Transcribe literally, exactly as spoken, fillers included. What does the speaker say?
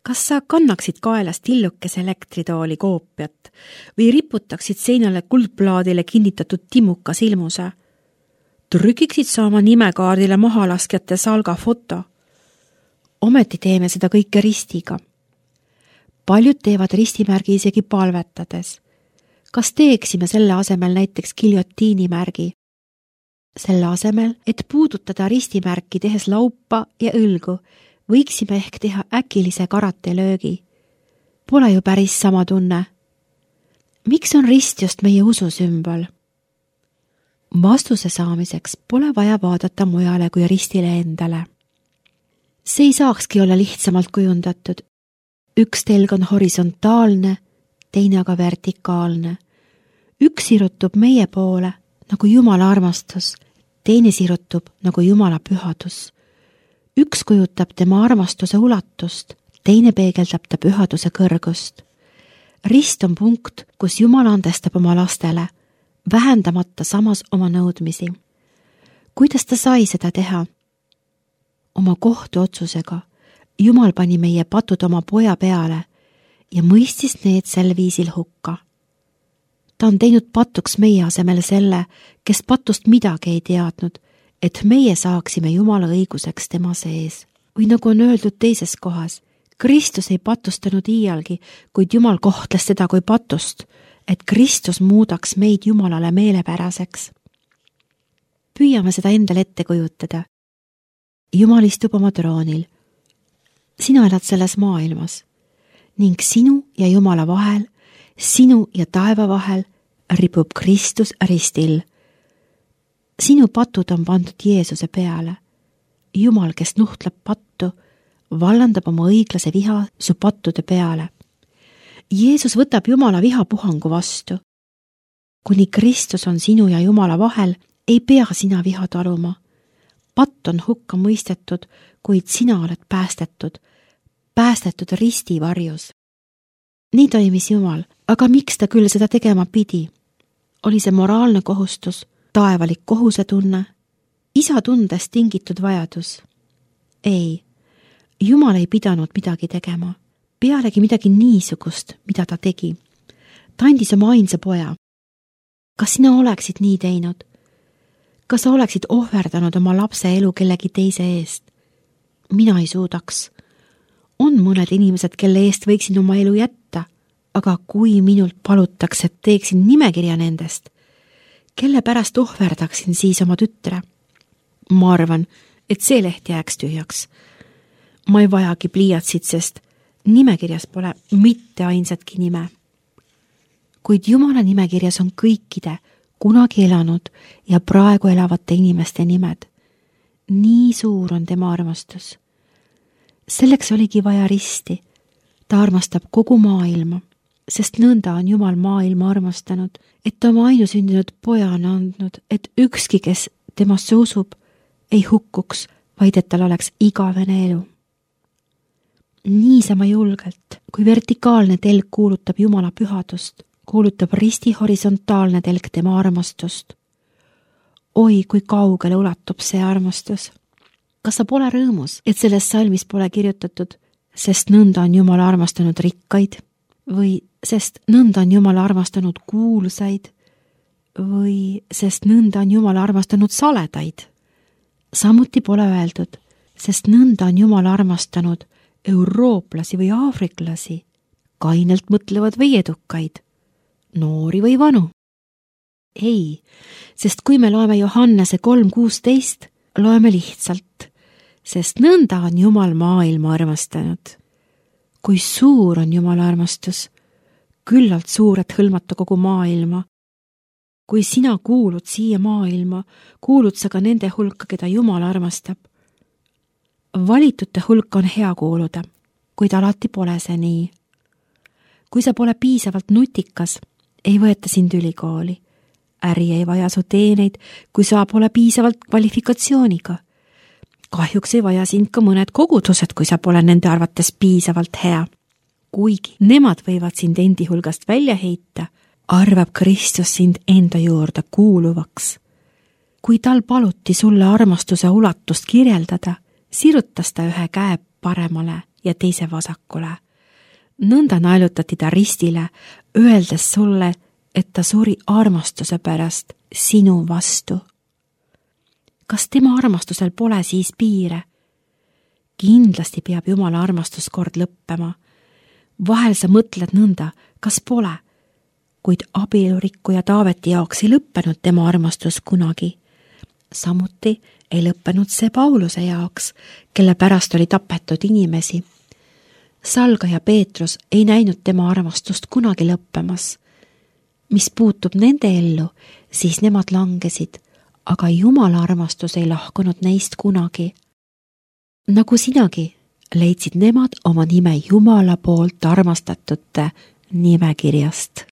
Kas sa kannaksid kaelast tillukese elektritooli koopiat või riputaksid seinale kuldplaadile kinnitatud timuka silmuse? Trükiksid sa oma nimekaardile mahalaskjate salga foto? Ometi teeme seda kõike ristiga. Paljud teevad ristimärgi isegi palvetades. Kas teeksime selle asemel näiteks giljotiinimärgi? Selle asemel, et puudutada ristimärki tehes laupa ja õlgu, võiksime ehk teha äkilise karatelöögi. Pole ju päris sama tunne. Miks on rist just meie ususümbol? Vastuse saamiseks pole vaja vaadata mujale kui ristile endale. See ei saakski olla lihtsamalt kujundatud. Üks telg on horisontaalne, teine aga vertikaalne. Üks sirutub meie poole nagu Jumala armastus, teine sirutub nagu Jumala pühadus. Üks kujutab tema armastuse ulatust, teine peegeldab ta pühaduse kõrgust. Rist on punkt, kus Jumal andestab oma lastele, vähendamata samas oma nõudmisi. Kuidas ta sai seda teha? Oma kohtuotsusega Jumal pani meie patud oma poja peale ja mõistis need sel viisil hukka. Ta on teinud patuks meie asemel selle, kes patust midagi ei teadnud, et meie saaksime Jumala õiguseks tema sees. Või nagu on öeldud teises kohas, Kristus ei patustanud iialgi, kuid Jumal kohtles teda kui patust, et Kristus muudaks meid Jumalale meelepäraseks. Püüame seda endale ette kujutada. Jumal istub oma troonil. Sina elad selles maailmas ning sinu ja Jumala vahel, sinu ja taeva vahel ripub Kristus ristil. Sinu patud on pandud Jeesuse peale. Jumal, kes nuhtleb pattu, vallandab oma õiglase viha su pattude peale. Jeesus võtab Jumala vihapuhangu vastu. Kuni Kristus on sinu ja Jumala vahel, ei pea sina viha taluma. Patt on hukka mõistetud, kuid sina oled päästetud, päästetud risti varjus. Nii toimis Jumal, aga miks ta küll seda tegema pidi? Oli see moraalne kohustus, taevalik kohusetunne, isa tundest tingitud vajadus? Ei, Jumal ei pidanud midagi tegema, pealegi midagi niisugust, mida ta tegi. Ta andis oma ainsa poja. Kas sina oleksid nii teinud? Kas sa oleksid ohverdanud oma lapse elu kellegi teise eest? Mina ei suudaks. On mõned inimesed, kelle eest võiksin oma elu jätta, aga kui minult palutakse, et teeksin nimekirja nendest, kelle pärast ohverdaksin siis oma tütre? Ma arvan, et see leht jääks tühjaks. Ma ei vajagi pliiatsit, sest nimekirjas pole mitte ainsatki nime. Kuid Jumala nimekirjas on kõikide kunagi elanud ja praegu elavate inimeste nimed. Nii suur on tema armastus. Selleks oligi vaja risti. Ta armastab kogu maailma, sest nõnda on Jumal maailma armastanud, et oma ainusündinud poja on andnud, et ükski, kes temasse usub, ei hukkuks, vaid et tal oleks igavene elu. Niisama julgelt, kui vertikaalne telg kuulutab Jumala pühadust, kuulutab risti horisontaalne telg tema armastust. Oi, kui kaugele ulatub see armastus. Kas sa pole rõõmus, et selles salmis pole kirjutatud, sest nõnda on Jumal armastanud rikkaid, või sest nõnda on Jumal armastanud kuulsaid, või sest nõnda on Jumal armastanud saledaid. Samuti pole öeldud, sest nõnda on Jumal armastanud eurooplasi või aafriklasi, kainelt mõtlevad või edukaid, noori või vanu. Ei, sest kui me loeme Johannese kolm kuusteist, loeme lihtsalt, sest nõnda on Jumal maailma armastanud. Kui suur on Jumala armastus, küllalt suur, et hõlmata kogu maailma. Kui sina kuulud siia maailma, kuulud sa ka nende hulka, keda Jumal armastab. Valitute hulka on hea kuuluda, kuid alati pole see nii. Kui sa pole piisavalt nutikas, ei võeta sind ülikooli. Äri ei vaja su teeneid, kui sa pole piisavalt kvalifikatsiooniga. Kahjuks ei vaja sind ka mõned kogudused, kui sa pole nende arvates piisavalt hea. Kuigi nemad võivad sind endi hulgast välja heita, arvab Kristus sind enda juurde kuuluvaks. Kui tal paluti sulle armastuse ulatust kirjeldada, sirutas ta ühe käe paremale ja teise vasakule. Nõnda naelutati ta ristile, öeldes sulle, et ta suri armastuse pärast sinu vastu. Kas tema armastusel pole siis piire? Kindlasti peab Jumala armastus kord lõppema. Vahel sa mõtled nõnda, kas pole, kuid abielurikkuja Taaveti jaoks ei lõppenud tema armastus kunagi. Samuti ei lõppenud see Pauluse jaoks, kelle pärast oli tapetud inimesi. Salgaja Peetrus ei näinud tema armastust kunagi lõppemas. Mis puutub nende ellu, siis nemad langesid, aga Jumala armastus ei lahkunud neist kunagi. Nagu sinagi leidsid nemad oma nime Jumala poolt armastatute nimekirjast.